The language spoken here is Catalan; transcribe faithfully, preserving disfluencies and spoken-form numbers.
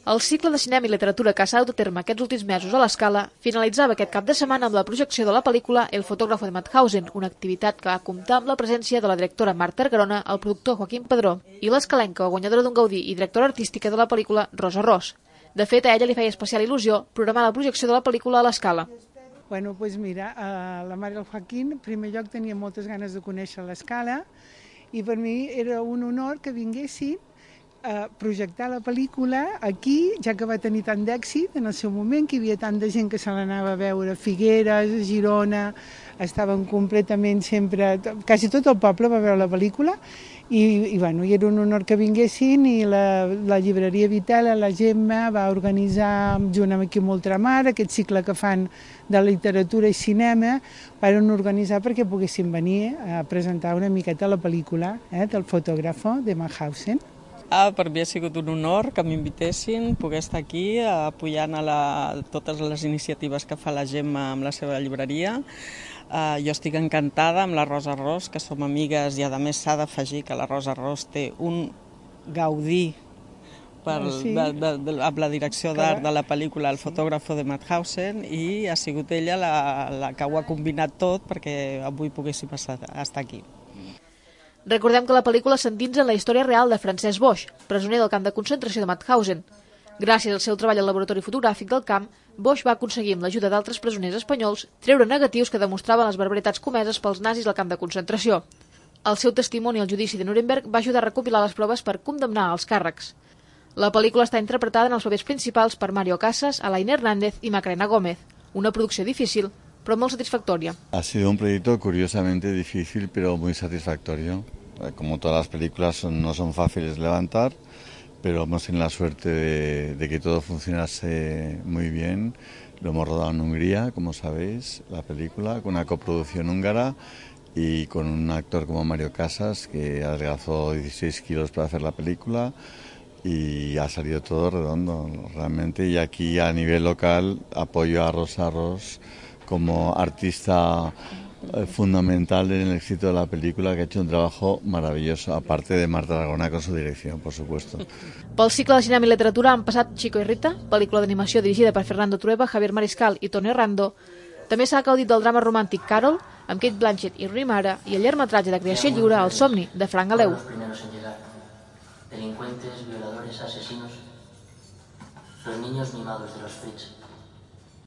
El cicle de cinema i literatura que s'ha dut a terme aquests últims mesos a l'Escala finalitzava aquest cap de setmana amb la projecció de la pel·lícula El fotógrafo de Mauthausen, una activitat que va comptar amb la presència de la directora Marta Argarona, el productor Joaquim Padró i l'escalenca, guanyadora d'un Gaudí i directora artística de la pel·lícula, Rosa Ros. De fet, a ella li feia especial il·lusió programar la projecció de la pel·lícula a l'Escala. Bueno, doncs mira, la Marta i el Joaquim, en primer lloc, tenia moltes ganes de conèixer l'Escala i per mi era un honor que vinguessin a projectar la pel·lícula aquí, ja que va tenir tant d'èxit en el seu moment, que hi havia tant de gent que se l'anava a veure a Figueres, a Girona, estaven completament sempre, quasi tot el poble va veure la pel·lícula i, i, bueno, i era un honor que vinguessin i la, la llibreria Vitela, la Gemma, va organitzar junt amb aquí Ultramar aquest cicle que fan de literatura i cinema, van organitzar perquè poguessin venir a presentar una miqueta la pel·lícula eh, del fotògrafo de Mauthausen. Ah, per mi ha sigut un honor que m'invitessin, poder estar aquí apoyant a la, totes les iniciatives que fa la Gemma amb la seva llibreria. Uh, jo estic encantada amb la Rosa Ros, que som amigues i a més s'ha d'afegir que la Rosa Ros té un Gaudí per, sí. de, de, de, amb la direcció d'art de la pel·lícula El fotógrafo de Mauthausen i ha sigut ella la, la que ho ha combinat tot perquè avui poguéssim estar, estar aquí. Recordem que la pel·lícula s'endinsa en la història real de Francesc Boix, presoner del camp de concentració de Mauthausen. Gràcies al seu treball al laboratori fotogràfic del camp, Boix va aconseguir, amb l'ajuda d'altres presoners espanyols, treure negatius que demostraven les barbaritats comeses pels nazis al camp de concentració. El seu testimoni al judici de Nuremberg va ajudar a recopilar les proves per condemnar els càrrecs. La pel·lícula està interpretada en els papers principals per Mario Casas, Alain Hernández i Macarena Gómez, una producció difícil, però molt satisfactoria. Ha sido un proyecto curiosamente difícil, pero muy satisfactorio. Como todas las películas son, no son fáciles de levantar, pero hemos tenido la suerte de, de que todo funcionase muy bien. Lo hemos rodado en Hungría, como sabéis, la película, con una coproducción húngara y con un actor como Mario Casas, que adelgazó dieciséis kilos para hacer la película y ha salido todo redondo, realmente. Y aquí a nivel local apoyo a Rosa Ros como artista fundamental en el éxito de la película, que ha hecho un trabajo maravilloso, aparte de Marta Aragona con su dirección, por supuesto. Pel cicle de cinema i literatura han passat Chico i Rita, pel·lícula d'animació dirigida per Fernando Trueba, Javier Mariscal i Tony Rando. També s'ha gaudit del drama romàntic Carol, amb Kate Blanchett i Rooney Mara, i el llargmetratge de creació lliure El somni, de Frank Aleu. Los primeros en llegar. Delincuentes, violadores, asesinos. Los niños mimados de los Fritz.